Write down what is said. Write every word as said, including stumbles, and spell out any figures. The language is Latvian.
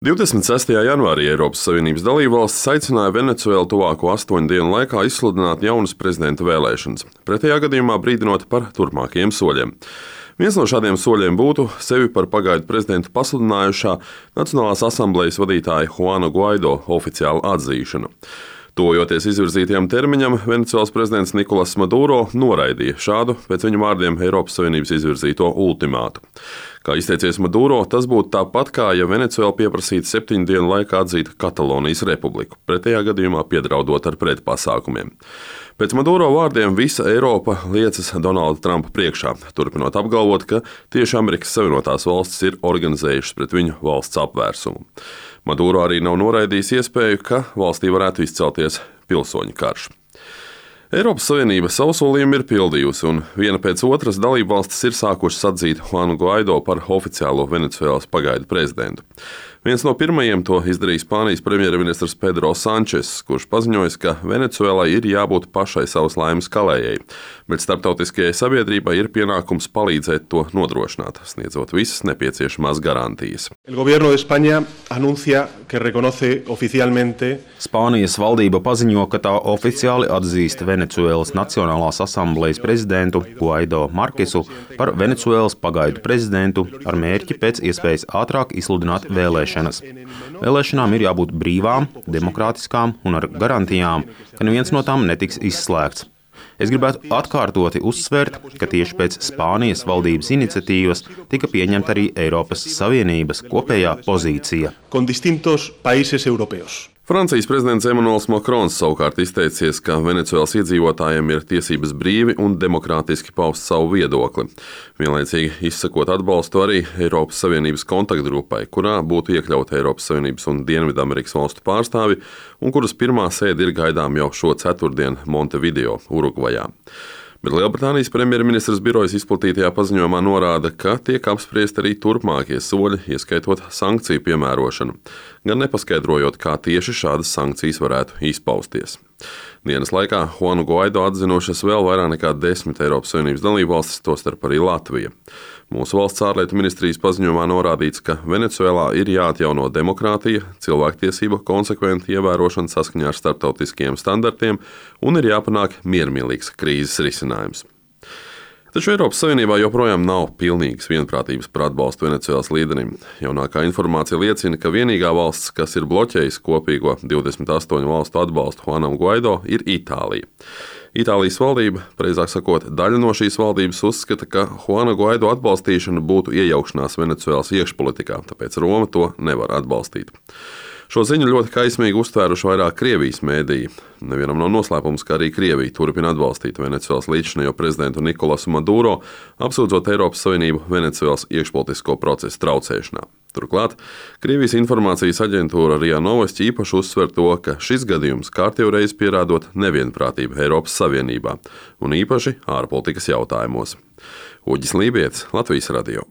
divdesmit sestajā janvārī Eiropas Savienības dalībvalstis aicināja Venecuēlu tuvāko astoņu dienu laikā izsludināt jaunas prezidenta vēlēšanas, pretējā gadījumā brīdinot par turpmākajiem soļiem. Viens no šādiem soļiem būtu sevi par pagaidu prezidentu pasludinājušā Nacionālās asamblejas vadītāja Juana Guaido oficiāla atzīšana. Tuvojoties izvirzītajam termiņam, Venecuēlas prezidents Nikolas Maduro noraidīja šādu, pēc viņa vārdiem, Eiropas Savienības izvirzīto ultimātu. Kā izteicies Maduro, tas būtu tāpat kā, ja Venecuēla pieprasītu septiņu dienu laikā atzīt Katalonijas republiku, pretējā gadījumā piedraudot ar pretpasākumiem. Pēc Maduro vārdiem visa Eiropa liecas Donalda Trumpa priekšā, turpinot apgalvot, ka tieši Amerikas Savienotās valstis ir organizējušas pret viņu valsts apvērsumu. Maduro arī nav noraidījis iespēju, ka valstī varētu izcelties pilsoņu karš. Eiropas Savienība savu solījumu ir pildījusi, un viena pēc otras dalībvalstis ir sākušas atzīt Juanu Guaido par oficiālo Venecuēlas pagaidu prezidentu. Viens no pirmajiem to izdarīja Spānijas premjerministrs Pedro Sančes, kurš paziņojis, ka Venecuēlai ir jābūt pašai savas laimes kalējai, bet starptautiskajai sabiedrībai ir pienākums palīdzēt to nodrošināt, sniedzot visas nepieciešamās garantijas. El gobierno de España anuncia que reconoce oficialmente Spānijas valdība paziņo, ka tā oficiāli atzīst Venecuēlas Nacionālās asamblejas prezidentu Guaido Markesu par Venecuēlas pagaidu prezidentu ar mērķi pēc iespējas ātrāk izsludināt vēlēšanas. Vēlēšanām ir jābūt brīvām, demokrātiskām un ar garantijām, ka neviens no tām netiks izslēgts. Es gribētu atkārtoti uzsvērt, ka tieši pēc Spānijas valdības iniciatīvas tika pieņemta arī Eiropas Savienības kopējā pozīcija. con distintos países europeos. Francijas prezidents Emmanuels Macrons savukārt izteicies, ka Venecuēlas iedzīvotājiem ir tiesības brīvi un demokrātiski paust savu viedokli, vienlaicīgi izsakot atbalstu arī Eiropas Savienības kontaktgrupai, kurā būtu iekļauti Eiropas Savienības un Dienvidamerikas valstu pārstāvi, un kuras pirmā sēde ir gaidām jau šo ceturtdienu Montevideo, Urugvajā. Bet Lielbritānijas premjerministrs birojas izplatītajā paziņojumā norāda, ka tiek apspriesti arī turpmākie soļi, ieskaitot sankciju piemērošanu, gan nepaskaidrojot, kā tieši šādas sankcijas varētu izpausties. Dienas laikā Juanu Guaido atzinušas vēl vairāk nekā desmit Eiropas Savienības dalībvalstis, tostarp arī Latvija. Mūsu valsts ārlietu ministrijas paziņojumā norādīts, ka Venecuēlā ir jāatjauno demokrātija, cilvēktiesību konsekventa ievērošana saskaņā ar starptautiskajiem standartiem un ir jāpanāk miermīlīgs krīzes risinājums. Taču Eiropas Savienībā joprojām nav pilnīgas vienprātības par atbalstu Venecuēlas līderim. Jaunākā informācija liecina, ka vienīgā valsts, kas ir bloķējusi kopīgo divdesmit astoņu valstu atbalstu Juanam Guaido, ir Itālija. Itālijas valdība, precīzāk sakot, daļa no šīs valdības uzskata, ka Juana Guaido atbalstīšana būtu iejaukšanās Venecuēlas iekšpolitikā, tāpēc Roma to nevar atbalstīt. Šo ziņu ļoti kaismīgi uztvēruši vairāk Krievijas mēdīji. Nevienam nav noslēpums, ka arī Krievija turpina atbalstīt Venecuēlas līdzšinējo prezidentu Nikolasu Maduro, apsūdzot Eiropas Savienību Venecuēlas iekšpolitisko procesu traucēšanā. Turklāt Krievijas informācijas aģentūra RIA Novosti īpaši uzsver to, ka šis gadījums kārtējo reizi pierādot nevienprātību Eiropas Savienībā un īpaši ārpolitikas jautājumos. Uģis Lībietis, Latvijas radio.